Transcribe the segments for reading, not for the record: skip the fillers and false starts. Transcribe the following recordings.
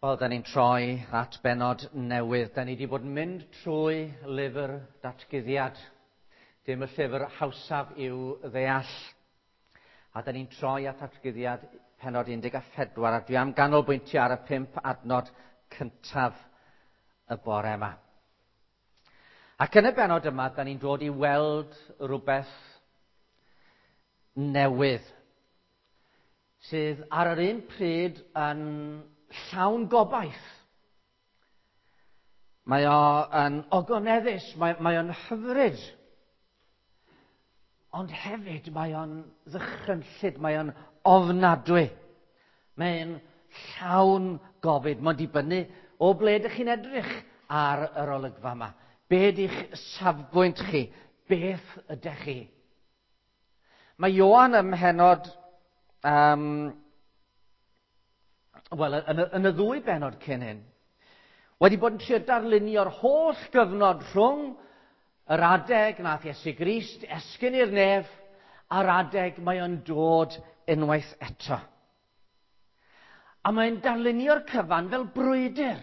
Wel, da ni'n troi at benod newydd. Da ni wedi bod yn mynd trwy lyfr datguddiad. Dim y llyfr hawsaf i'w ddeall. A da ni'n troi at datguddiad penod 14, a dwi am ganolbwyntio ar y pump adnod cyntaf y bore yma. Ac yn y benod yma, da ni'n dod i weld rhywbeth newydd sydd ar yr un pryd yn llawn gobaith. Mae o yn ogoneddus, mae o'n hyfryd. Ond hefyd mae o'n ddychrynllyd, mae o'n ofnadwy. Mae'n llawn gofid. Mae'n dibynnu o ble ydych chi'n edrych ar yr olygfa yma. Be ydych safbwynt chi? Beth ydych chi? Mae Ioan ym mhenod wel, yn y ddwy benod cyn hyn, wedi bod yn trio darlunio'r holl gyfnod rhwng yr adeg nath Iesu Grist esgyn i'r nef a'r adeg mae o'n dod unwaith eto. A mae'n darlunio'r cyfan fel brwydr.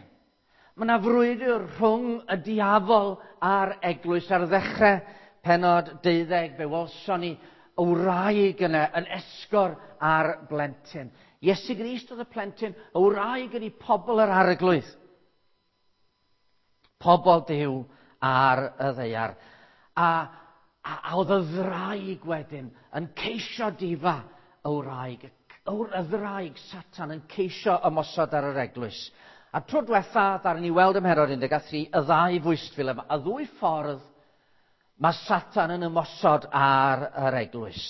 Mae yna frwydr rhwng y diafol a'r eglwys. Ar ddechrau penod 12, fe welson ni y wraig yna yn esgor ar blentyn. Iesu Grist oedd y plentyn, y wraig ydy pobl yr arglwydd. Pobl Duw ar y ddaear. A oedd y ddraig wedyn yn ceisio difa y wraig. Y ddraig, Satan, yn ceisio ymosod ar yr eglwys. A tro diwetha, ddaru ni weld ym mhennod 13, y ddau fwystfil yma, y ddwy ffordd mae Satan yn ymosod ar yr eglwys.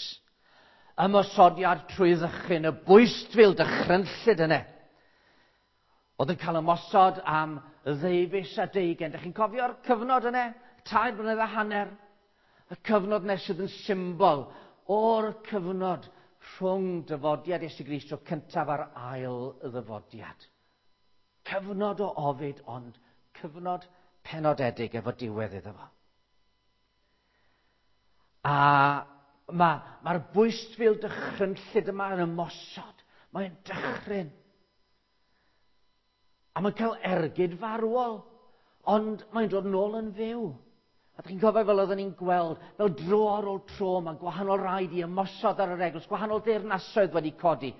Ymosodiad trwy ddychryn, y bwystfil dychrynllyd yna. Oedd yn cael ymosod am ddeufis a deugain. Dych chi'n cofio'r cyfnod yna? 3 blynedd a hanner. Y cyfnod nes sydd yn symbol o'r cyfnod rhwng dyfodiad Iesu Grist tro cyntaf a'r ail ddyfodiad. Cyfnod o ofid, ond cyfnod penodedig efo diwedd iddo fo. A mae'r bwystfil dychrynllyd yma yn ymosod. Mae'n dychryn. A mae'n cael ergyd farwol, ond mae'n dod nôl yn fyw. A dych chi'n cofio fel oedden ni'n gweld, fel dro ar ôl tro, mae gwahanol raid i ymosod ar yr eglwys, gwahanol deyrnasoedd wedi codi.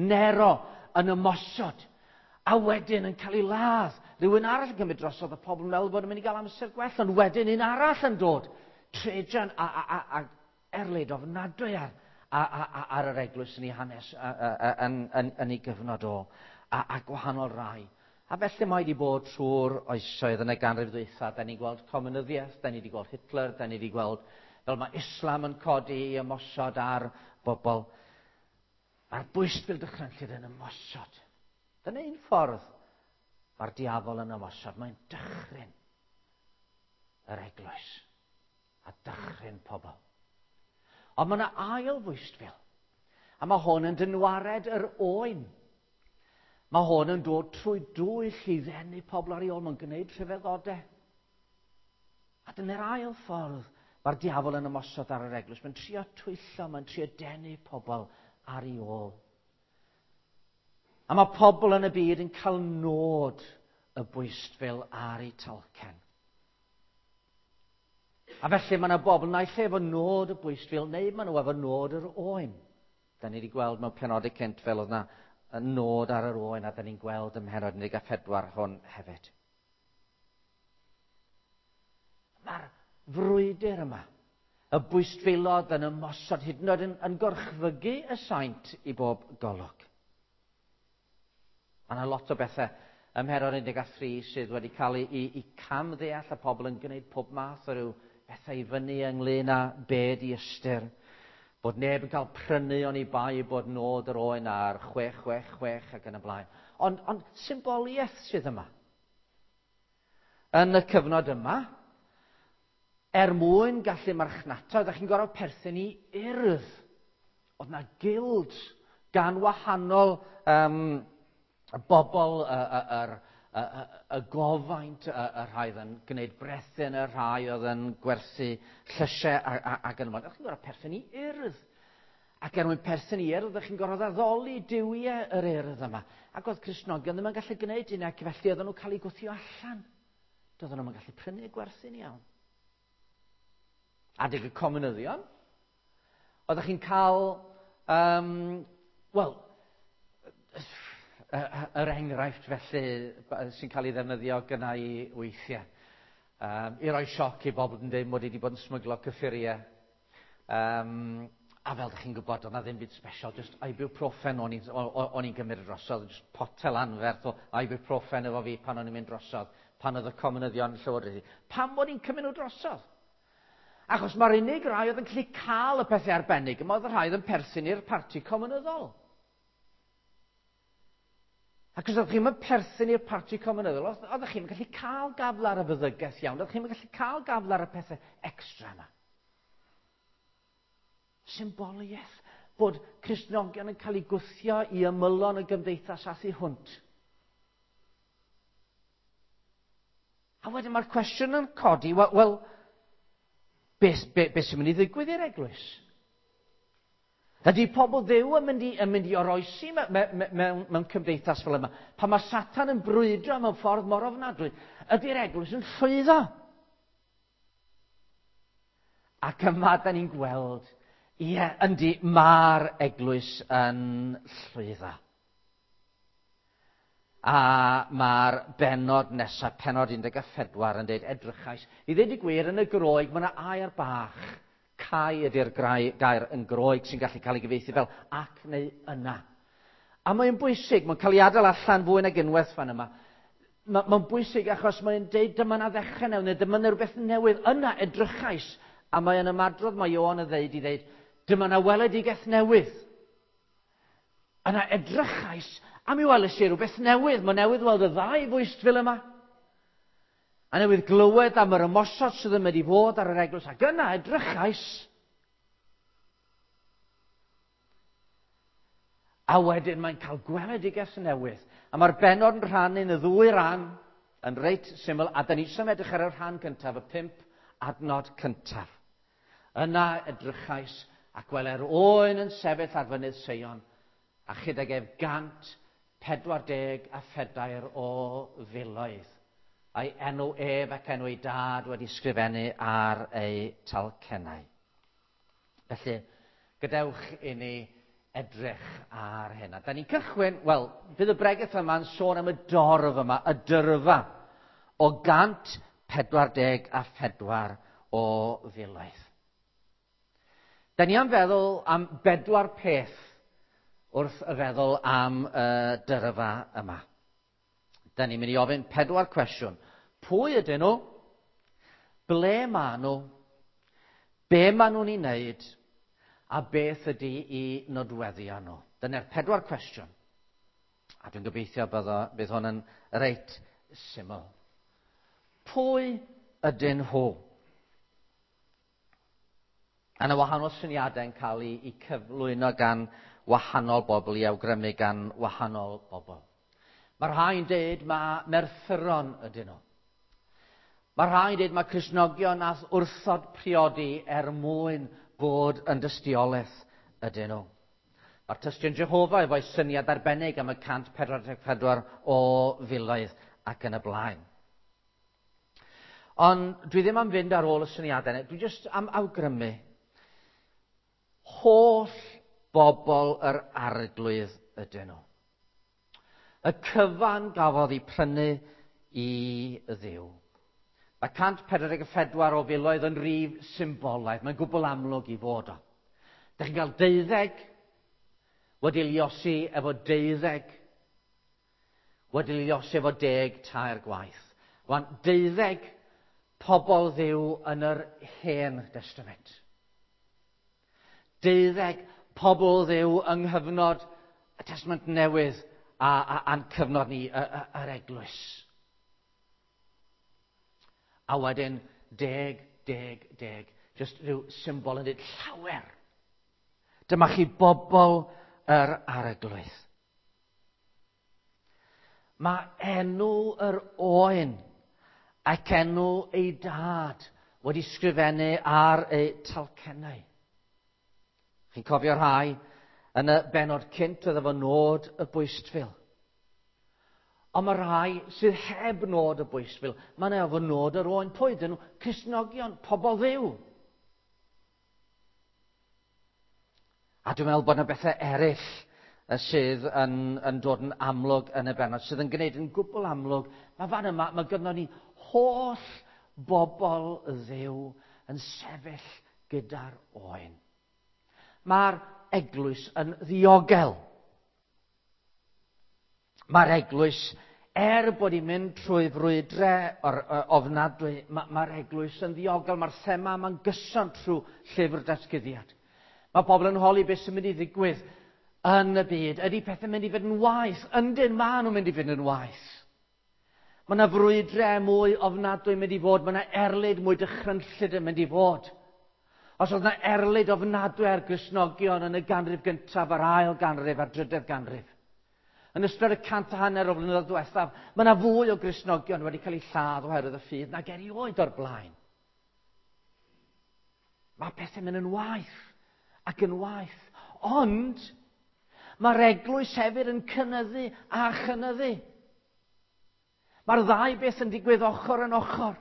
Nero yn ymosod, a wedyn yn cael ei ladd. Rhywun arall yn cymryd drosodd, y pobl yn meddwl bod yn mynd i gael amser gwell, ond wedyn un arall yn dod. Trajan a erlid ofnadwy ar yr eglwys yn ei hanes, yn ei gyfnod o, a gwahanol rai. A felly mae wedi bod trwy'r oesoedd yn y ganrif ddwytha. Da ni'n gweld comunyddiaeth, da ni wedi gweld Hitler, da ni wedi gweld fel mae Islam yn codi i ymosod ar bobl. Mae'r bwystfil dychrynllyd yn ymosod. Dyna un ffordd mae'r diafol yn ymosod. Mae'n dychryn yr eglwys a dychryn pobl. Ond mae yna ail fwystfil. A mae hwn yn dynwared yr oen. Mae hwn yn dod trwy dwyll i ddenu pobl ar ei ôl. Mae'n gwneud rhyfeddodau. A dyna'r ail ffordd mae'r diafol yn ymosod ar yr eglwys. Mae'n trio twyllo, mae'n trio denu pobl ar ei ôl. A mae pobl yn y byd yn cael nod y bwystfil ar eu talcen. A felly mae yna bobl naill ai efo nod y bwystfil neu maen nhw efo nod yr oen. Da ni wedi gweld mewn penodau cynt fel oedd yna nod ar yr oen, a da ni'n gweld ym mhennod 14 hwn hefyd. Mae'r frwydr yma, y bwystfilod yn ymosod hyd yn oed yn gorchfygu y saint i bob golwg. Mae yna lot o bethau ym mhennod 13 sydd wedi cael ei camddeall, a pobl yn gwneud pob math o ryw bethau i fyny ynglyn â be di ystyr. Bod neb yn cael prynu oni bai bod nod yr oen ar 666 ac yn y blaen. Ond symboliaeth sydd yma. Yn y cyfnod yma, er mwyn gallu marchnata, oeddech chi'n gorfod perthyn i urdd. Oedd yna guild gan wahanol bobl, y gofaint, y rhai oedd yn gwneud brethyn, y rhai oedd yn gwerthu llysiau ac yn y blaen. Oeddech chi'n gorfod perthyn i urdd. Ac er mwyn perthyn i urdd, oeddech chi'n gorfod addoli duwiau yr urdd yma. Ac oedd Cristnogion ddim yn gallu gwneud hynny, ac felly oedden nhw'n cael eu gwthio allan. Doedden nhw'n gallu prynu a gwerthu'n iawn. Adeg y comunyddion, oeddech chi'n cael, wel, yr enghraifft felly sy'n cael ei ddefnyddio gyna i weithiau. I roi sioc i bobl yn dweud mod i wedi bod yn smyglo cyffuriau. A fel ydych chi'n gwybod, oedd na ddim byd special, just ibuprofen o'n i'n gymryd drosodd, just potel anferth o ibuprofen efo fi pan o'n i'n mynd drosodd, pan oedd y comunyddion yn llywodraethu. Pam bod i'n cymryd nhw drosodd? Achos mae'r unig rai oedd yn gallu cael y pethau arbennig yma oedd y rhai oedd yn perthyn i'r parti comunyddol. Ac os oeddech chi'n perthyn i'r parti comunyddol, oeddech chi'n gallu cael gafel ar y feddygaeth iawn, oeddech chi'n gallu cael gafel ar y pethau extra yma. Symboliaeth bod Cristnogion yn cael eu gwthio i ymylon y gymdeithas a thu hwnt. A wedyn mae'r cwestiwn yn codi, wel, beth sy'n mynd i ddigwydd i'r eglwys? Ydy pobl Dduw yn mynd i oroesi mewn cymdeithas fel yma? Pan mae Satan yn brwydro mewn ffordd mor ofnadwy, ydy'r eglwys yn llwyddo? Ac yma da ni'n gweld, ie, yndi, mae'r eglwys yn llwyddo. A mae'r bennod nesaf, pennod 14, yn dweud edrychais. I ddweud y gwir, yn y Groeg, mae yna air bach. Cau ydy'r gair yn Groeg sy'n gallu cael ei gyfieithu fel ac neu yna. A mae'n bwysig, mae'n cael ei adael allan fwy nag unwaith fan yma. Mae'n bwysig achos mae'n deud dyma na ddechrau newydd, neu dyma na rhywbeth newydd. Yna edrychais, a mae'n ymadrodd mae Ioan yn ddeud i ddeud, dyma na weledigaeth newydd. Yna edrychais, a mi weles i rhywbeth newydd. Mae newydd weld y ddau fwystfil yma. A newydd glywed am yr ymosod sydd yn mynd i fod ar yr eglwys. Ac yna edrychais. A wedyn mae'n cael gweledigaeth newydd. A mae'r bennod yn rhannu yn y ddwy ran, yn reit syml, a da ni eisiau edrych ar y rhan gyntaf, y 5 adnod cyntaf. Yna edrychais ac wele'r oen yn sefyll ar fynydd Seion, a chydag ef 144 o filoedd. A'i enw ef ac enw ei dad wedi sgrifennu ar ei talcennau. Felly, gadewch i ni edrych ar hyn. A da ni'n cychwyn, wel, bydd y bregeth yma'n sôn am y dorf yma, y dyrfa, o 144 o filoedd. Da ni am feddwl am 4 peth wrth y feddwl am y dyrfa yma. Da ni'n mynd i ofyn 4 cwestiwn. Pwy ydyn nhw? Ble maen nhw? Be maen nhw'n ei wneud? A beth ydy i nodweddion nhw? Dyna'r 4 cwestiwn. A dwi'n gobeithio bydd hwn yn reit syml. Pwy ydyn nhw? A yna wahanol syniadau yn cael eu cyflwyno gan wahanol bobl, i awgrymu gan wahanol bobl. Mae rhai'n dweud mae merthyron ydyn nhw. Mae rhai'n dweud mae Cristnogion nath wrthod priodi er mwyn bod yn dystiolaeth ydyn nhw. Mae'r tystion Jehofa efo'i syniad arbennig am y 144 o filoedd ac yn y blaen. Ond dwi ddim am fynd ar ôl y syniadau. Dwi jyst am awgrymu holl bobl yr Arglwydd ydyn nhw. Y cyfan gafodd ei prynu i Dduw. Mae 144 o filoedd yn rif symbolaidd. Mae'n gwbl amlwg i fod o. Dych chi'n cael 12 wedi liosi efo 12, wedi liosi efo 10 tair gwaith. Wan, 12 pobl Dduw yn yr Hen Testament. 12 pobl Dduw yng nghyfnod y Testament Newydd a'n cyfnod ni, yr eglwys. A wedyn 10, 10, 10. Just rhyw symbol yn dweud llawer. Dyma chi bobl yr Arglwydd. Mae enw yr oen ac enw ei dad wedi sgrifennu ar ei talcennau. Chi'n cofio rhai yn y benod cynt oedd efo nod y bwystfil. Ond mae rhai sydd heb nod y bwystfil, mae yna efo nod yr oen. Pwy ydyn nhw? Cristnogion, pobl Dduw. A dwi'n meddwl bod yna bethau eraill sydd yn dod yn amlwg yn y bennod, sydd yn gwneud yn gwbl amlwg. Mae fan yma, mae gynnon ni holl bobl Dduw yn sefyll gyda'r oen. Mae'r eglwys yn ddiogel. Mae'r eglwys, er bod hi'n mynd trwy frwydre o'r ofnadwy, mae'r eglwys yn ddiogel. Mae'r thema yma'n gyson trwy llyfr Datguddiad. Mae pobl yn holi beth sy'n mynd i ddigwydd yn y byd. Ydy pethau'n mynd i fynd yn waeth? Yndyn, maen nhw'n mynd i fynd yn waeth. Mae yna frwydre mwy ofnadwy yn mynd i fod. Mae yna erlid mwy dychrynllyd yn mynd i fod. Os oedd yna erlid ofnadwy ar Gristnogion yn y ganrif gyntaf, a'r ail ganrif, a'r drydedd ganrif. Yn ystod y 150 o flynyddoedd diwethaf, mae yna fwy o Gristnogion wedi cael eu lladd oherwydd y ffydd nag erioed o'r blaen. Mae pethau'n mynd yn waeth ac yn waeth. Ond mae'r eglwys hefyd yn cynyddu a chynyddu. Mae'r ddau beth yn digwydd ochr yn ochr.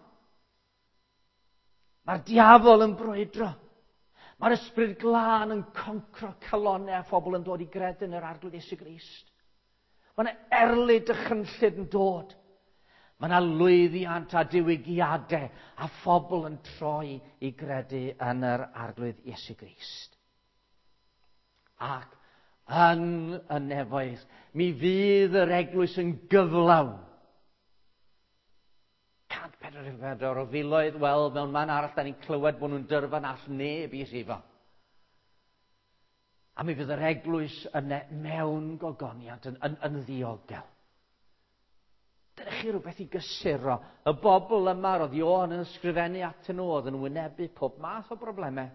Mae'r diafol yn brwydro. Mae'r ysbryd glân yn concro calonnau a phobl yn dod i gredu yn yr Arglwydd Iesu Grist. Mae yna erlid dychrynllyd yn dod. Mae yna lwyddiant a diwygiadau a phobl yn troi i gredu yn yr Arglwydd Iesu Grist. Ac yn y nefoedd, mi fydd yr eglwys yn gyflawn. 144 o filoedd, wel, mewn man arall, da ni'n clywed bod nhw'n dyrfa na all neb i rhifo. A mi fydd yr eglwys yna mewn gogoniant yn ddiogel. Dyna chi rhywbeth i gysuro. Y bobl yma roedd Ioan yn ysgrifennu atyn nhw oedd yn wynebu pob math o broblemau.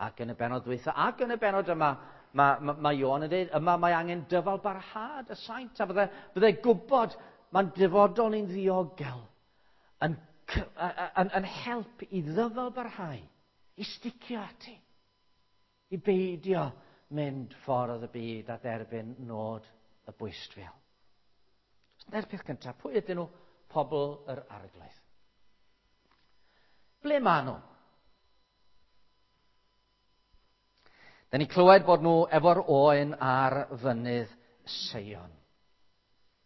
Ac yn y bennod dwytha, ac yn y bennod yma, mae Ioan yn dweud, yma mae angen dyfal barhad y saint, a fydde gwybod mae'n dyfodol ni'n ddiogel yn help i ddyfal barhau, i sticio ati, i beidio mynd ffordd y byd a derbyn nod y bwystfil. Dyna'r peth cyntaf. Pwy ydyn nhw? Pobl yr Arglwydd. Ble maen nhw? Da ni clywed bod nhw efo'r oen ar fynydd Seion.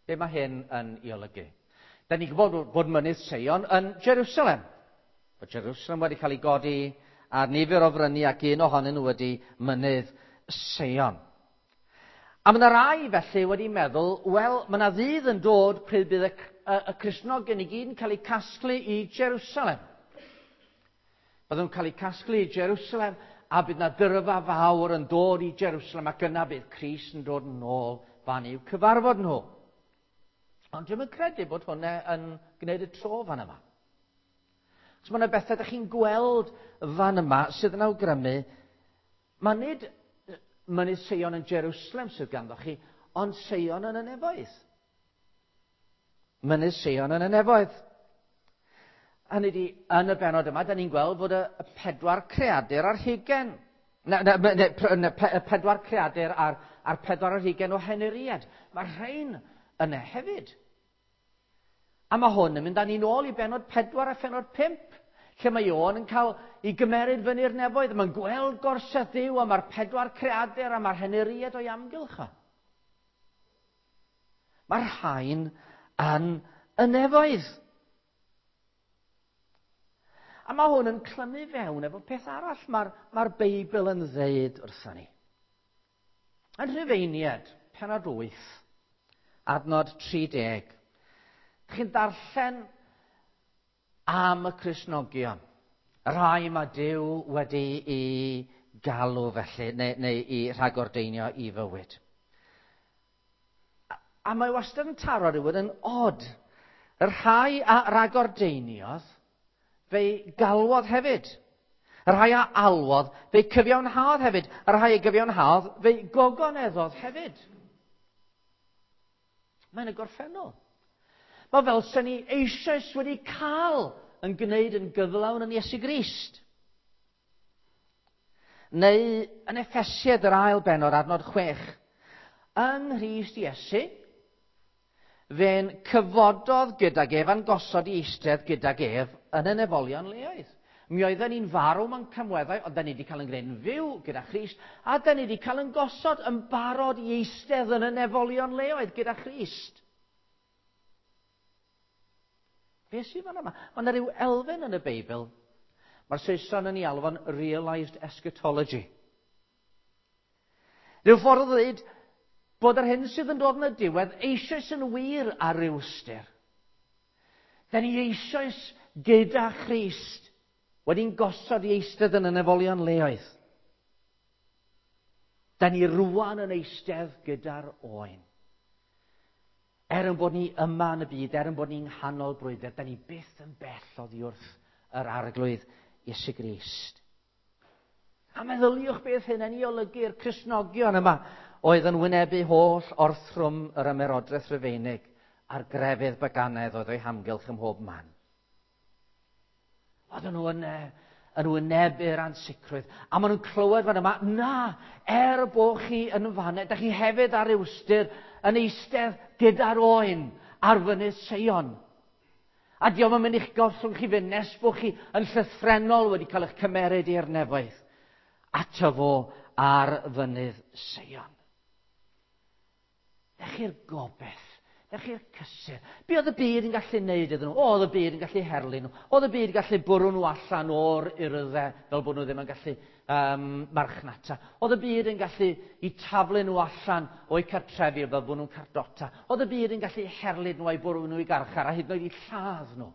Be mae hyn yn ei olygu? Da ni'n gwybod bod mynydd Seion yn Jerusalem. Bod Jerusalem wedi cael ei godi ar nifer o fryniau ac un ohonyn nhw wedi mynydd Seion. A mae yna rai felly wedi meddwl, wel, mae yna ddydd yn dod pryd bydd y Cristnogion i gyd yn cael eu casglu i Jerusalem. Byddwn nhw'n cael eu casglu i Jerusalem a bydd yna dyrfa fawr yn dod i Jerusalem ac yna bydd Crist yn dod yn ôl fan i'w cyfarfod nhw. Ond dwi'm yn credu bod hwnna yn gwneud y tro fan yma. So mae yna bethau ydych chi'n gweld fan yma sydd yn awgrymu, mae nid mynydd Seion yn Jerusalem sydd ganddo chi, ond Seion yn y nefoedd. Mynydd Seion yn y nefoedd. Hynny ydi, yn y bennod yma, da ni'n gweld fod y pedwar creadur ar hugain. Na, na, na, na, na, pe, y pedwar creadur ar pedwar ar hugain o henuriad. Mae rhain yna hefyd. A mae hwn yn mynd â ni'n ôl i bennod 4 a phennod 5, lle mae Ioan yn cael ei gymeryd fyny'r nefoedd. Mae'n gweld gorsedd Duw, a mae'r pedwar creadur a mae'r henuriad o'i amgylch o. Mae'r rhain yn y nefoedd. A mae hwn yn clymu fewn efo peth arall mae'r Beibl yn ddeud wrthon ni. Yn Rhufeiniad, pennod 8, adnod 30. Chi'n darllen am y Cristnogion, y rhai mae Duw wedi i galw felly, neu i rhagordeinio i fywyd. A mae wastad yn taro rhywun yn od. Y rhai a ragordeiniodd, fe'i galwodd hefyd. Y rhai a alwodd, fe'i cyfiawnhaodd hefyd. Y rhai a gyfiawnhaodd, fe'i gogoneddodd hefyd. Mae'n y gorffennol. Mae fel sy'n ni eisoes wedi cael yn gwneud yn gyflawn yn Iesu Grist. Neu yn Effesiad yr ail bennod, adnod 6. Yng Nghrist Iesu, fe'n cyfododd gydag ef a'n gosod i eistedd gydag ef yn y nefolion leoedd. Mi oedden ni'n farw mewn camweddau, ond da ni wedi cael yn gwneud yn fyw gyda Christ, a da ni wedi cael yn gosod yn barod i eistedd yn y nefolion leoedd gyda Christ. Be sydd fan yma? Mae yna rhyw elfen yn y Beibl. Mae'r Saeson yn ei alw'n realised eschatology. Rhyw ffordd o ddweud bod yr hyn sydd yn dod yn y diwedd eisoes yn wir ar ryw ystyr. Da ni eisoes gyda Christ wedi'n gosod i eistedd yn y nefolion leoedd. Da ni rwan yn eistedd gyda'r oen. Er yn bod ni yma yn y byd, er yn bod ni'n nghanol brwydr, da ni byth yn bell oddi wrth yr Arglwydd Iesu Grist. A meddyliwch beth hyn yn ei olygu'r Cristnogion yma oedd yn wynebu holl orthrwm yr ymerodraeth Rufeinig a'r grefydd baganaidd oedd o'i hamgylch ym mhob man. Oedden nhw yn wynebu'r ansicrwydd. A maen nhw'n clywed fan yma, na, er bod chi yn fanne, da chi hefyd ar ystyr yn eistedd gyda'r oen ar fynydd Seion. A diolch yn mynd i'ch gollwng chi fynd nes bod chi yn llythrennol wedi cael eich cymeryd i'r nefoedd. Ato fo ar fynydd Seion. Dech chi'r gobeith, dech chi'r cysur. Be oedd y byd yn gallu neud iddyn nhw? O, oedd y byd yn gallu herlu nhw. Oedd y byd yn gallu bwrw nhw allan o'r urddau fel bod nhw ddim yn gallu marchnata. Oedd y byd yn gallu i taflu nhw allan o'u cartrefi fel bod nhw'n cardota. Oedd y byd yn gallu herlu nhw a'i bwrw nhw i garchar a hyd yn oed i lladd nhw.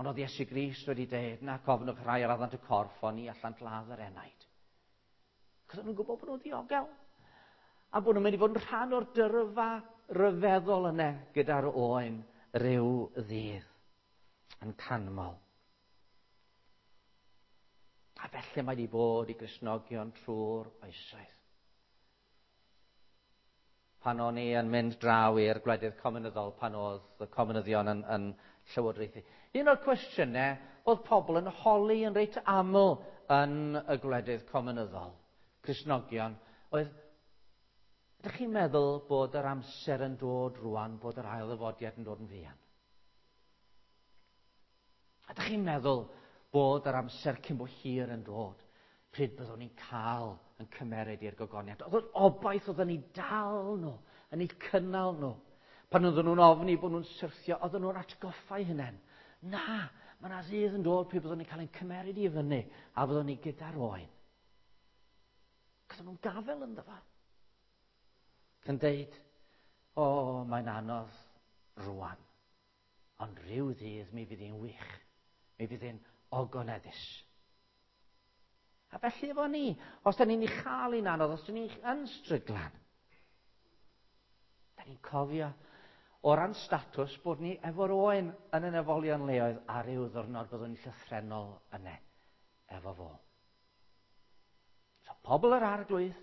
Ond oedd Iesu Grist wedi dweud, na cofnwch rhai ar addant y corff, ond ni allant ladd yr enaid. Cos nhw'n gwybod bod nhw'n ddiogel. A bod nhw'n mynd i fod yn rhan o'r dyrfa ryfeddol yna gyda'r oen ryw ddydd yn canmol. A felly mae wedi bod i Gristnogion trwy'r oesoedd. Pan o'n i yn mynd draw i'r gwledydd cominyddol, pan oedd y cominyddion yn llywodraethu. Un o'r cwestiynau oedd pobl yn holi yn reit aml yn y gwledydd cominyddol, Cristnogion, oedd, ydych chi'n meddwl bod yr amser yn dod rwan, bod yr ail ddyfodiad yn dod yn fuan? Ydych chi'n meddwl bod yr amser cyn bo hir yn dod, pryd byddwn ni'n cael yn cymeryd i'r gogoniant? Oedd yr obaith oedd yn ei dal nhw, yn ei cynnal nhw. Pan oedden nhw'n ofni bod nhw'n syrthio, oedden nhw'n atgoffa'u hunain. Na, mae yna ddydd yn dod pryd byddwn ni'n cael ein cymeryd i fyny a byddwn ni gyda'r oen. Oedden nhw'n gafel ynddo fo. Yn deud, o, mae'n anodd rwan. Ond rhyw ddydd mi fydd hi'n wych. Mi fydd hi'n ogoneddus. A felly efo ni, os da ni'n ei chael hi'n anodd, os da ni'n yn stryglan, da ni'n cofio o ran statws bod ni efo'r oen yn y nefolion leoedd a ryw ddwrnod byddwn ni'n llythrennol yna efo fo. So pobl yr Arglwydd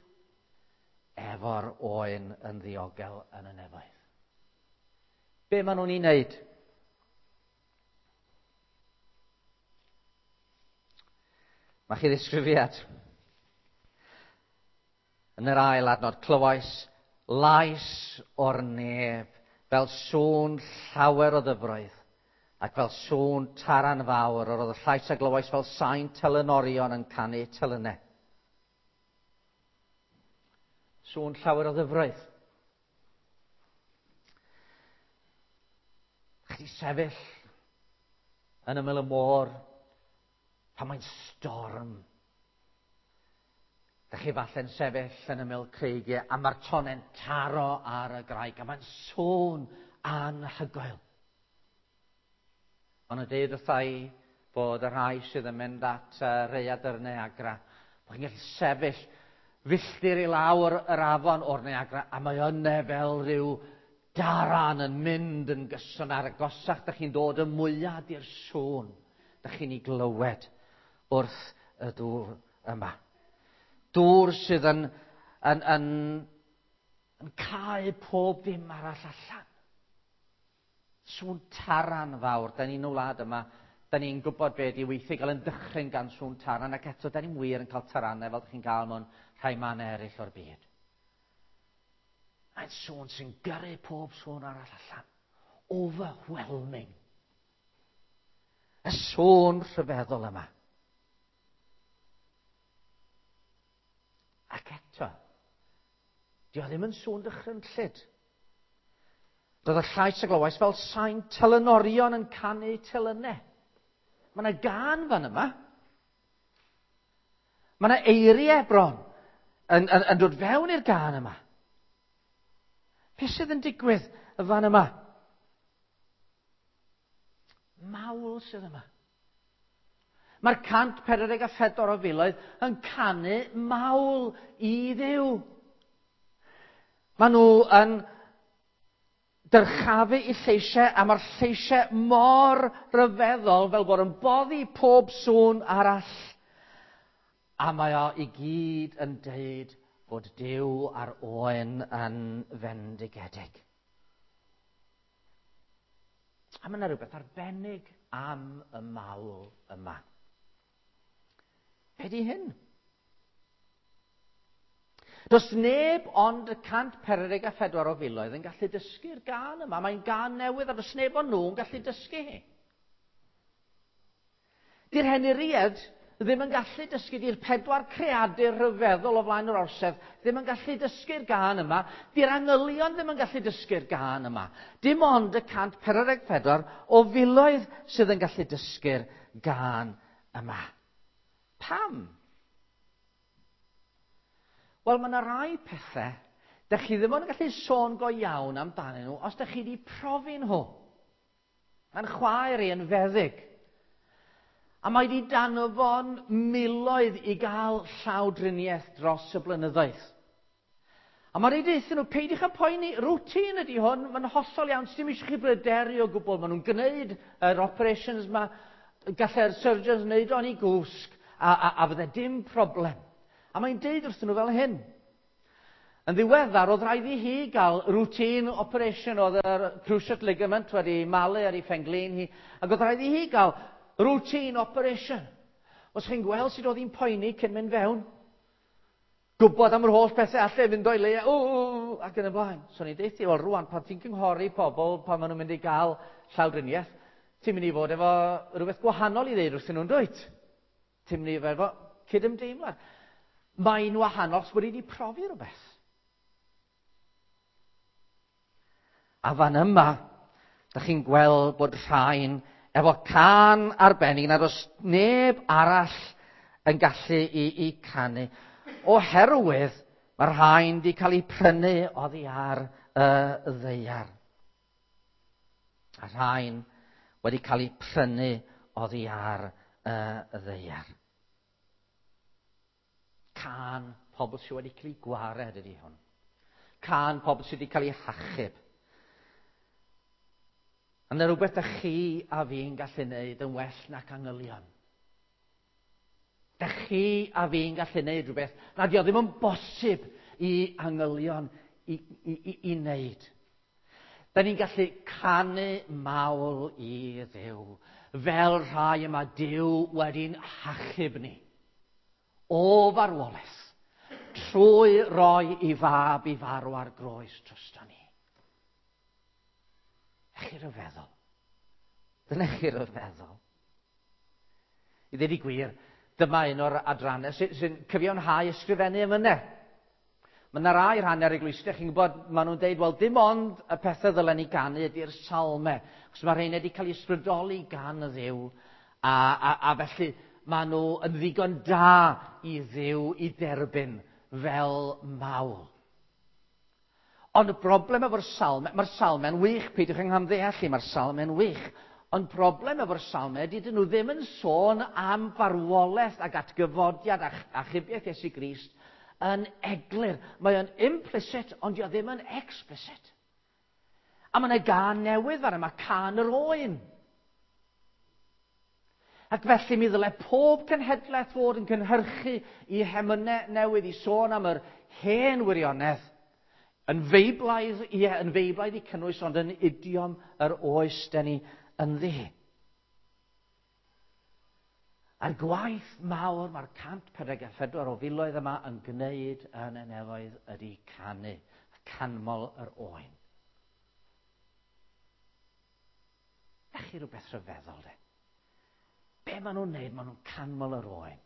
efo'r oen yn ddiogel yn y nefoedd. Be maen nhw'n ei wneud? Mae chi ddisgrifiad. Yn yr ail adnod, clywais lais o'r nef fel sŵn llawer o ddyfroedd ac fel sŵn taran fawr. Yr oedd y llais a glywais fel sain telynorion yn canu telynau. Sŵn llawer o ddyfroedd. Chi sefyll yn ymyl y môr pan mae'n storm. Dych chi falle'n sefyll yn ymyl creigiau a mae'r tonau'n taro ar y graig a mae'n sŵn anhygoel. Ond y deud wrtha i bod y rhai sydd yn mynd at Rhaeadr Niagara, bod chi'n gallu sefyll filltir i lawr yr afon o'r Niagara a mae yna fel rhyw daran yn mynd yn gyson ar agosach. Dych chi'n dod y mwyaf i'r sŵn dych chi'n ei glywed wrth y dŵr yma. Dŵr sydd yn cau pob dim arall allan. Sŵn taran fawr. Da ni'n y wlad yma, Da ni'n gwybod be ydi weithiau gael yn dychryn gan sŵn taran, ac eto da ni'n wir yn cael taranau fel ydych chi'n gael mewn rhai mannau eraill o'r byd. Mae'n sŵn sy'n gyrru pob sŵn arall allan. Overwhelming. Y sŵn rhyfeddol yma. Ac eto, di o ddim yn sŵn dychrynllyd. Doedd y llais a glywais fel sain telynorion yn canu telynau. Mae yna gân fan yma. Mae yna eiriau bron yn dod fewn i'r gân yma. Beth sydd yn digwydd y fan yma? Mawl sydd yma. Mae'r 144 o filoedd yn canu mawl i Dduw. Maen nhw yn dyrchafu i lleisiau, a mae'r lleisiau mor ryfeddol fel bod yn boddi pob sŵn arall. A mae o i gyd yn deud bod Duw a'r Oen yn fendigedig. A mae yna rhywbeth arbennig am y mawl yma. Be di hyn? Does neb ond y 144 o filoedd yn gallu dysgu'r gân yma. Mae'n gân newydd a does neb ond nhw'n gallu dysgu hi. Di'r henuried ddim yn gallu dysgu, di'r pedwar creadur rhyfeddol o flaen yr orsedd ddim yn gallu dysgu'r gân yma, di'r angylion ddim yn gallu dysgu'r gân yma. Dim ond y 144 o filoedd sydd yn gallu dysgu'r gân yma. Pam? Wel, mae yna rai pethau dych chi ddim ond yn gallu sôn go iawn amdanyn nhw os dych chi wedi profi nhw. Mae'n chwaer i yn feddyg. A mae wedi danfon miloedd i gael llawdriniaeth dros y blynyddoedd. A mae wedi deutha nhw, peidiwch â poeni, routine ydy hwn, mae'n hollol iawn, sdim eisiau chi bryderu o gwbl. Maen nhw'n gwneud yr operations yma, gallai'r surgeons wneud o'n i gwsg, a fydde dim problem. A mae'n deud wrthyn nhw fel hyn. Yn ddiweddar, oedd rhaid i hi gael routine operation, oedd yr cruciate ligament wedi malu ar ei phenglin hi, ac oedd rhaid i hi gael routine operation. Os chi'n gweld sut oedd hi'n poeni cyn mynd fewn, gwybod am yr holl pethau allai fynd o'i le, o, ac yn y blaen. So ni'n deud, wel rwan, pan ti'n cynghori pobl pan maen nhw'n mynd i gael llawdriniaeth, ti'n mynd i fod efo rhywbeth gwahanol i ddeud wrthyn nhw'n dwyt. Ti'n mynd i fod efo cydymdeimlad. Mae'n wahanol os bod wedi profi rhywbeth. A fan yma, da chi'n gweld bod rhain efo cân arbennig nad oes neb arall yn gallu i canu. Oherwydd mae rhain wedi cael eu prynu oddi ar y ddaear. A rhain wedi cael eu prynu oddi ar y ddaear. Cân pobl sydd wedi cael eu gwared ydy hwn. Cân pobl sydd wedi cael eu hachub. A yna rhywbeth da chi a fi'n gallu wneud yn well nac angylion. Da chi a fi'n gallu wneud rhywbeth nad yw ddim yn bosib i angylion i wneud. Da ni'n gallu canu mawl i Dduw, fel rhai yma Duw wedi'n hachub ni o farwolaeth, trwy roi i fab i farw ar groes drosto ni. Chi ryfeddol. Dyna chi ryfeddol. I ddweud y gwir, dyma un o'r adrannau sy'n cyfiawnhau ysgrifennu emynau. Mae yna rai rhan ar eglwysi, chi'n gwybod, maen nhw'n deud, wel, dim ond y pethau ddylen ni ganu ydy'r salmau. Achos mae rhain wedi cael eu ysbrydoli gan y Dduw, a felly maen nhw yn ddigon da i Dduw i dderbyn fel mawl. Ond y broblem efo'r salmau, mae'r salmau'n wych, peidiwch yng nghamddeall i, mae'r salmau'n wych. Ond broblem efo'r salmau ydy dyn nhw ddim yn sôn am farwolaeth ac atgyfodiad a achubiaeth Iesu Grist yn eglur. Mae o'n implicit, ond dio ddim yn explicit. A mae yna gân newydd fan yma, cân yr oen. Ac felly mi ddyle pob cenhedlaeth fod yn cynhyrchu i hemynau newydd i sôn am yr hen wirionedd. Yn feiblaidd, ie, yn feiblaidd i cynnwys, ond yn idiom yr oes da ni ynddi. A'r gwaith mawr mae'r 144 o filoedd yma yn gwneud yn y nefoedd ydy canu, canmol yr oen. Na chi rhywbeth rhyfeddol, de? Be maen nhw'n neud? Maen nhw'n canmol yr oen.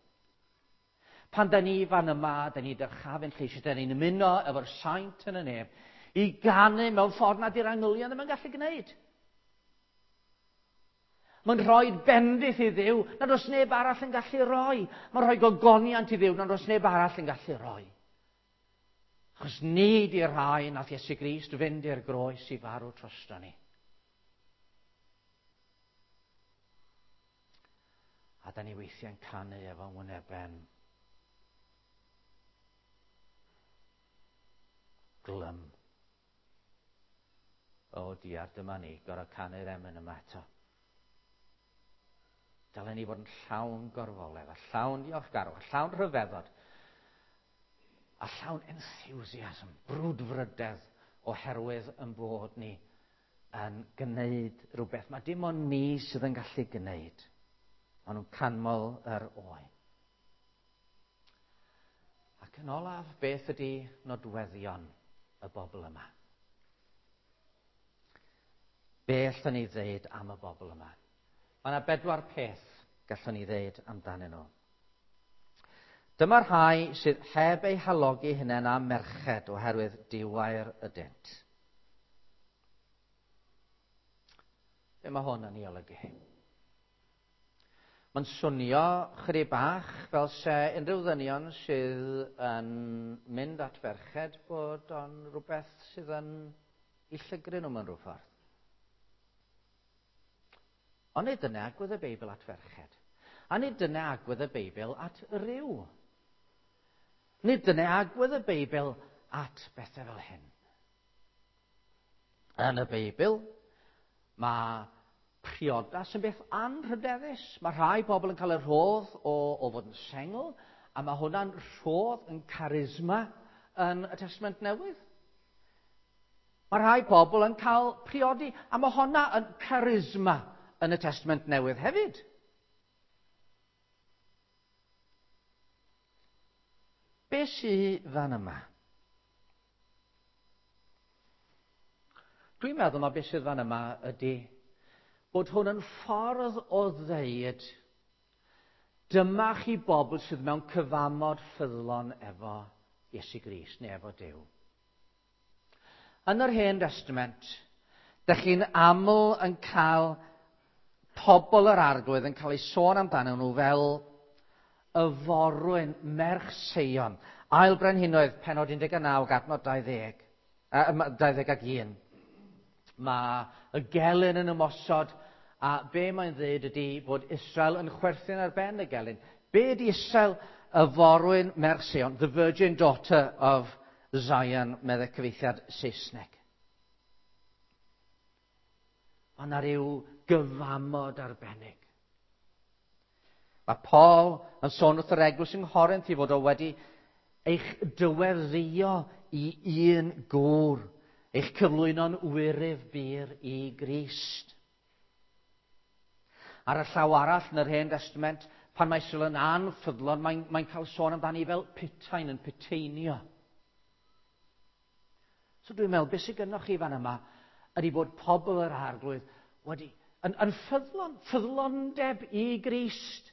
Pan da ni fan yma, da ni dyrchafu'n lleisiau, da ni'n ymuno efo'r saint yn y nef, i ganu mewn ffordd nad yw'r angylion ddim yn gallu gwneud. Mae'n rhoi bendith i Dduw nad oes neb arall yn gallu rhoi. Mae'n rhoi gogoniant i Dduw nad oes neb arall yn gallu rhoi. Achos ni di'r rhai nath Iesu Grist fynd i'r groes i farw drosto ni. A da ni weithiau'n canu efo ngwyneben glym. O diar, dyma ni, gorau canu'r emyn yma eto. Dylen ni fod yn llawn gorfoledd, a llawn diolchgarwch, a llawn rhyfeddod, a llawn enthusiasm, brwdfrydedd, oherwydd yn bod ni yn gwneud rhywbeth. Mae dim ond ni sydd yn gallu gwneud. Maen nhw'n canmol yr oen. Ac yn olaf, beth ydy nodweddion y bobl yma? Be allwn ni ddeud am y bobl yma? Mae yna bedwar peth gallwn ni ddeud amdanyn nhw. Dyma'r rhai sydd heb eu halogi hunain â merched oherwydd diwair ydynt. Be mae hwn yn ei olygu? Mae'n swnio chydig bach fel se unrhyw ddynion sydd yn mynd at ferched bod o'n rhywbeth sydd yn i llygru nhw mewn rhyw ffordd. Ond nid dyna agwedd y Beibl at ferched. A nid dyna agwedd y Beibl at ryw. Nid dyna agwedd y Beibl at bethau fel hyn. Yn y Beibl, mae priodas yn beth anrhydeddus. Mae rhai pobl yn cael y rhodd o, o fod yn sengl, a mae hwnna'n rhodd yn charisma yn y Testament Newydd. Mae rhai pobl yn cael priodi, a mae honna yn charisma yn y Testament Newydd hefyd. Be sydd fan yma? Dwi'n meddwl mae beth sydd fan yma ydy bod hwn yn ffordd o ddeud dyma chi bobl sydd mewn cyfamod ffyddlon efo Iesu Grist neu efo Duw. Yn yr Hen Destament, dych chi'n aml yn cael pobl yr arglwydd yn cael ei sôn amdanyn nhw fel y forwyn merch Seion. Ail Brenhinoedd, penod 19 ac adnod 20, 21. Mae y gelyn yn ymosod, a be mae'n dweud ydy bod Israel yn chwerthin ar ben y gelyn. Be ydy Israel? Y forwyn merch Seion, the virgin daughter of Zion, meddai cyfieithiad Saesneg. Mae yna rhyw gyfamod arbennig. Mae Paul yn sôn wrth yr eglwys yng Nghorinth i fod o wedi eich dyweddio i un gŵr, eich cyflwyno'n wyryf bur i Grist. Ar y llaw arall yn yr Hen Testament, pan mae Israel yn anffyddlon, mae'n mae cael sôn amdani fel putain yn puteinio. So dwi'n meddwl, beth sydd gynnwch chi fan yma ydy bod pobl yr arglwydd wedi yn, yn ffyddlon, ffyddlondeb i Grist.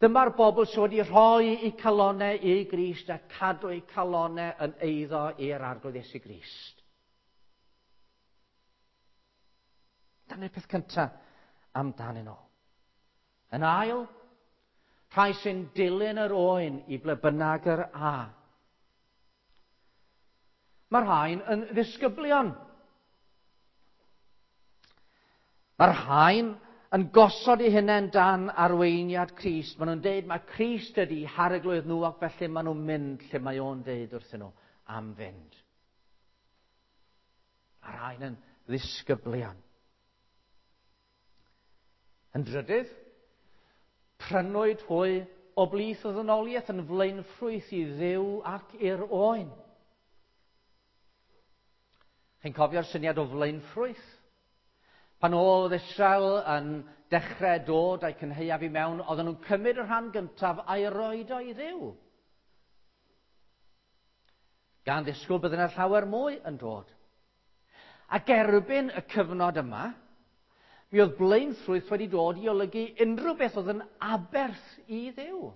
Dyma'r bobl sydd wedi rhoi eu calonau i Grist a cadw eu calonau yn eiddo i'r arglwydd Iesu Grist. Dyna'r peth cyntaf amdanyn nhw. Yn ail, rhai sy'n dilyn yr oen i ble bynnag yr a. Mae'r rhain yn ddisgyblion. Mae'r rhain yn gosod eu hunain dan arweiniad Crist. Maen nhw'n deud mae Crist ydy harglwydd nhw ac felly maen nhw'n mynd lle mae o'n deud wrthyn nhw am fynd. Mae'r rhain yn ddisgyblion. Yn drydydd, prynwyd hwy o blith y ddynoliaeth yn flaenffrwyth i Dduw ac i'r oen. Chi'n cofio'r syniad o flaenffrwyth? Pan oedd Israel yn dechrau dod a'i cynhaeaf i mewn, oedden nhw'n cymryd y rhan gyntaf a'i roed o i Dduw. Gan ddisgwyl bydd yna llawer mwy yn dod. Ac erbyn y cyfnod yma, mi oedd blaenffrwyth wedi dod i olygu unrhyw beth oedd yn aberth i Dduw.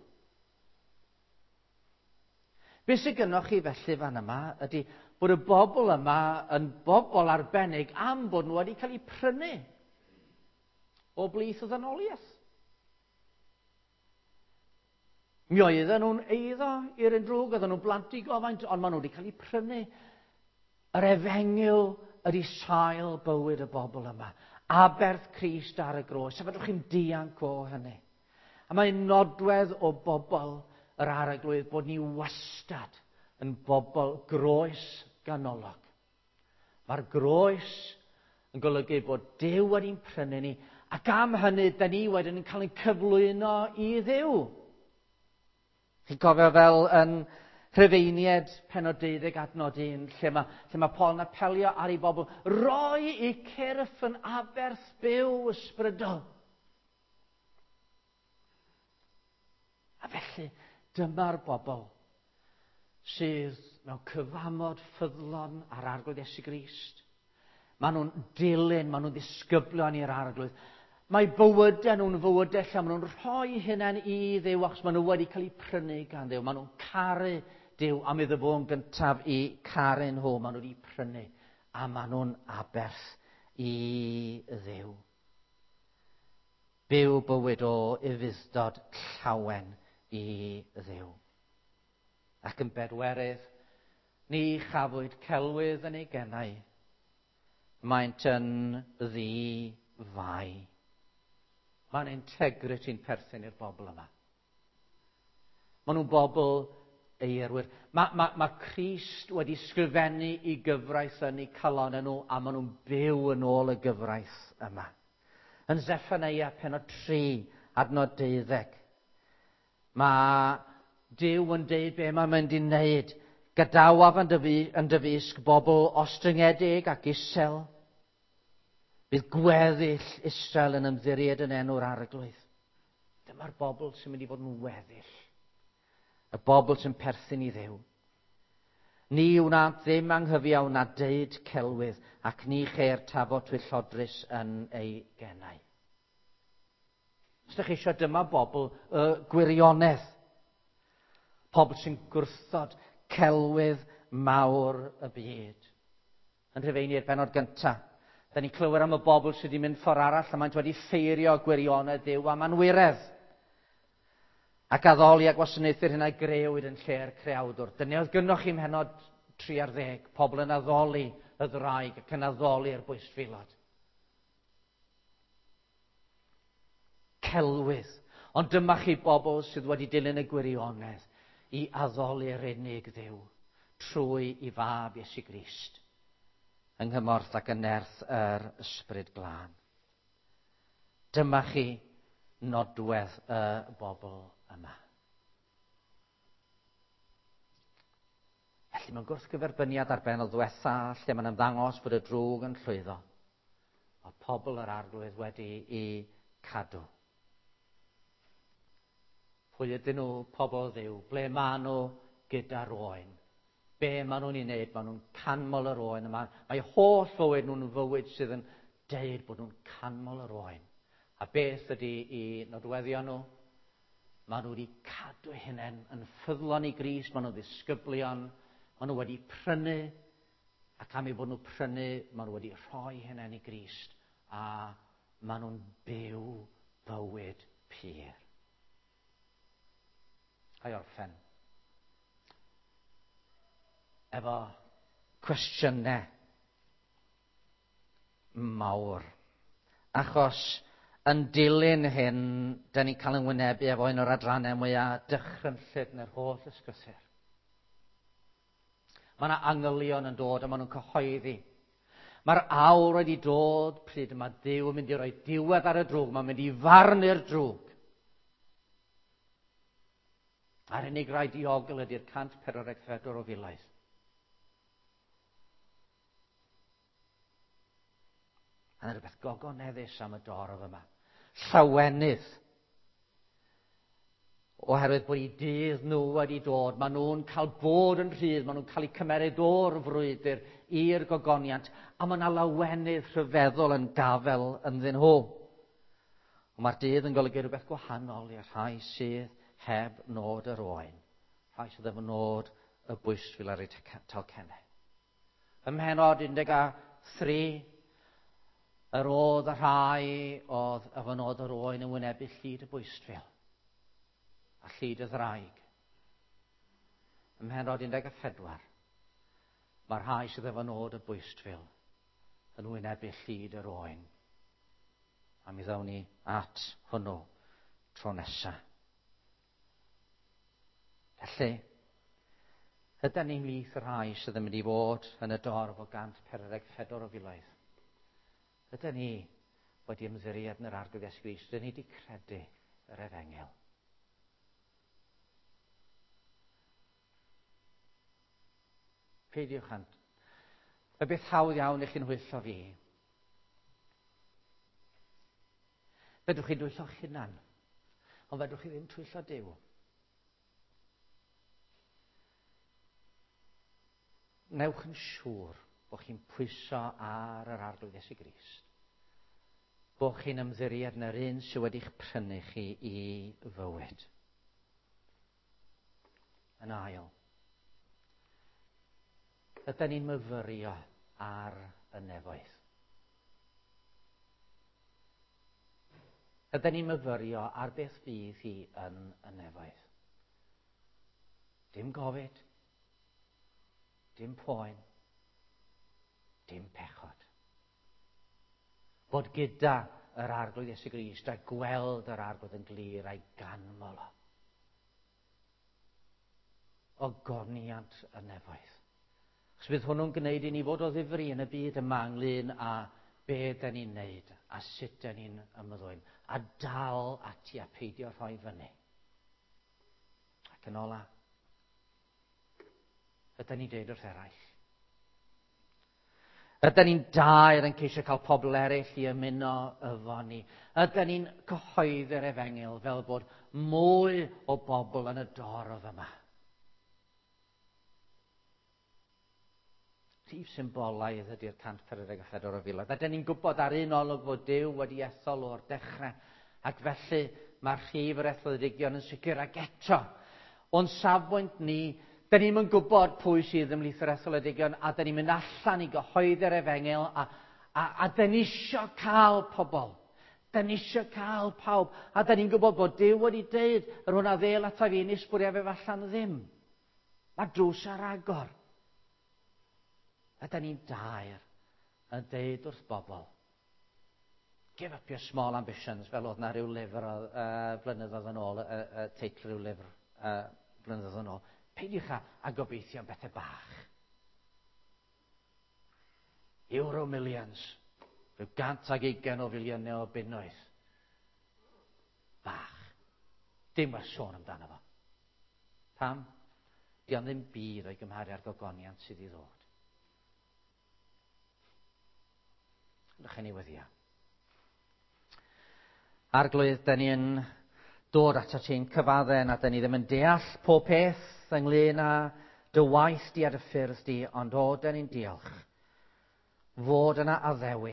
Be sydd gynnoch chi felly fan yma ydy bod y bobl yma yn bobl arbennig am bod nhw wedi cael eu prynu o blith y ddynoliaeth. Mi oedden nhw'n eiddo i'r un drwg, oedden nhw'n blant i gofaint, ond maen nhw wedi cael eu prynu. Yr efengyl ydy sail bywyd y bobl yma. Aberth Crist ar y groes. A fedrwch chi'n dianc o hynny. A mae'n nodwedd o bobl yr Arglwydd bod ni wastad yn bobl groes ganolog. Mae'r groes yn golygu bod Duw wedi'n prynu ni, ac am hynny, da ni wedyn yn cael ein cyflwyno i Dduw. Chi'n cofio fel yn Rhufeiniaid pennod 12 adnod 1, lle mae Paul yn apelio ar ei bobl, roi eu cyrff yn aberth byw ysbrydol. A felly, dyma'r bobl sydd mewn cyfamod ffyddlon ar Arglwydd Iesu Grist. Maen nhw'n dilyn, maen nhw'n ddisgyblion i'r Arglwydd. Mae bywydau nhw'n fywydau lle maen nhw'n rhoi hunain i Dduw achos maen nhw wedi cael eu prynu gan Dduw. Maen nhw'n caru Duw am iddo fo yn gyntaf i caru nhw. Maen nhw wedi prynu a maen nhw'n aberth i Dduw. Byw bywyd o ufudd-dod llawen i Dduw. Ac yn bedwerydd, ni chafwyd celwydd yn ei genau. Maent yn ddi-fai. Mae'n integrity'n perthyn i'r bobl yma. Maen nhw'n bobl eirwir. Mae Crist wedi sgrifennu i gyfraith yn eu calonnau nhw, a maen nhw'n byw yn ôl y gyfraith yma. Yn Zeffaniah pennod 3, adnod 12, mae Duw yn deud be mae'n mynd i wneud. Gadawaf yn dy fysg bobl ostyngedig ac isel. Bydd gweddill Israel yn ymddiried yn enw'r Arglwydd. Dyma'r bobl sy'n mynd i fod yn weddill. Y bobl sy'n perthyn i Dduw. Ni wnânt ddim anghyfiawn na deud celwydd, ac ni cheir tafod twyllodrus yn ei genau. Os ydych chi eisiau, dyma bobl y gwirionedd. Pobl sy'n gwrthod celwydd mawr y byd. Yn Rhufeiniaid bennod gyntaf, da ni'n clywed am y bobl sydd wedi mynd ffordd arall a maent wedi ffeirio gwirionedd Duw am anwiredd. Ac addoli a gwasanaethu'r hyn a grëwyd yn lle'r creawdwr. Dyna oedd gynnoch chi mhenod 3 ar 10, pobl yn addoli y ddraig ac yn addoli'r bwystfilod. Celwydd. Ond dyma chi bobl sydd wedi dilyn y gwirionedd i addoli'r unig Dduw trwy i fab Iesu Grist yng nghymorth ac yn nerth yr Ysbryd Glân. Dyma chi nodwedd y bobl yma. Felly mae'n gwrthgyferbyniad ar bennod ddiwetha lle mae'n ymddangos bod y drwg yn llwyddo. Mae pobl yr Arglwydd wedi i cadw. Pwy ydyn nhw, pobl Dduw? Ble maen nhw gyda'r oen? Be maen nhw'n ei wneud? Maen nhw'n canmol yr oen yma. Mae holl fywyd nhw'n fywyd sydd yn deud bod nhw'n canmol yr oen. A beth ydy i nodweddion nhw? Maen nhw wedi cadw eu hunain yn ffyddlon i Grist, maen nhw'n ddisgyblion, maen nhw wedi prynu, ac am eu bod nhw prynu, maen nhw wedi rhoi hunain i Grist, a maen nhw'n byw bywyd pur. A'i orffen efo cwestiynau mawr. Achos yn dilyn hyn, da ni'n cael ein wynebu efo un o'r adrannau mwyaf dychrynllyd yn yr holl ysgrythur. Mae yna angylion yn dod a maen nhw'n cyhoeddi. Mae'r awr wedi dod pryd mae Duw yn mynd i roi diwedd ar y drwg, mae'n mynd i farnu'r drwg. A'r unig rai diogel ydy'r 144 o filoedd. A yna rhywbeth gogoneddus am y dorf yma. Llawenydd. Oherwydd bod eu dydd nhw wedi dod, maen nhw'n cael bod yn rhydd, maen nhw'n cael eu cymeryd o'r frwydr i'r gogoniant, a mae yna lawenydd rhyfeddol yn gafel ynddyn nhw. Ond mae'r dydd yn golygu rhywbeth gwahanol i'r rhai sydd heb nod yr oen, rhai sydd efo nod y bwystfil ar eu talcennau. Ym mhenod 13, yr oedd y rhai oedd efo nod yr oen yn wynebu llid y bwystfil a llid y ddraig. Ym mhenod 14, mae'r rhai sydd efo nod y bwystfil yn wynebu llid yr oen. A mi ddawn ni at hwnnw tro nesaf. Felly, ydy ni'n mlith y rhai sydd yn mynd i fod yn y dorf o 144 o filoedd? Ydy ni wedi ymddiried yn yr Arglwydd Iesu Grist? Ydy ni wedi credu yr efengyl? Peidiwch â'n... Y beth hawdd iawn i chi'n hwyllo fi. Fedrwch chi dwyllo'ch hunan, ond fedrwch chi ddim twyllo Duw. Newch yn siŵr bod chi'n pwyso ar yr Arglwydd Iesu Grist. Bod chi'n ymddiried yn yr un sydd wedi'ch prynu chi i fywyd. Yn ail, ydy ni'n myfyrio ar y nefoedd? Ydy ni'n myfyrio ar beth fydd hi yn y nefoedd? Dim gofid, dim poen, dim pechod. Bod gyda yr Arglwydd Iesu Grist a gweld yr Arglwydd yn glir a'i ganmol o. Ogoniant y nefoedd. Chos bydd hwnnw'n gwneud i ni fod o ddifri yn y byd yma ynglyn â be da ni'n neud a sut da ni'n ymddwyn. A dal ati a peidio rhoi fyny. Ac yn ola, ydy ni'n deud wrth eraill. Ydy ni'n daer yn ceisio cael pobl eraill i ymuno efo ni? Ydy ni'n cyhoeddi'r efengyl fel bod mwy o bobl yn y dorf yma? Rhif symbolaidd ydy'r 144 o filoedd. A dyn ni'n gwybod ar un olwg fod Duw wedi ethol o'r dechrau, ac felly mae'r rhif yr etholedigion yn sicr, ac eto, o'n safbwynt ni, dyn ni'm yn gwybod pwy sydd ymhlith yr etholedigion, a dyn ni'n mynd allan i gyhoeddi'r efengyl, a dyn ni isio cael pobl. Dyn ni isio cael pawb. A dyn ni'n gwybod bod Duw wedi deud, yr hwn a ddêl ata fi, nis bwriaf ef allan ddim. Mae drws ar agor. A da ni'n daer yn deud wrth bobl, give up your small ambitions, fel oedd na rhyw lyfr blynyddoedd yn ôl, teitl rhyw lyfr blynyddoedd yn ôl. Peidiwch â gobeithio am bethau bach. Euro millions, rhyw 120 o filiynau o bunnoedd. Bach. Dim werth sôn amdano fo. Pam? Di o'n ddim byd o'i gymharu â'r gogoniant sydd i ddod. Ydych chi'n ei weddio. Arglwydd, da ni yn dod ato ti'n cyfadde na da ni ddim yn deall pob peth ynglyn â dy waith di a dy ffyrdd di, ond o, da ni'n diolch fod yna addewid.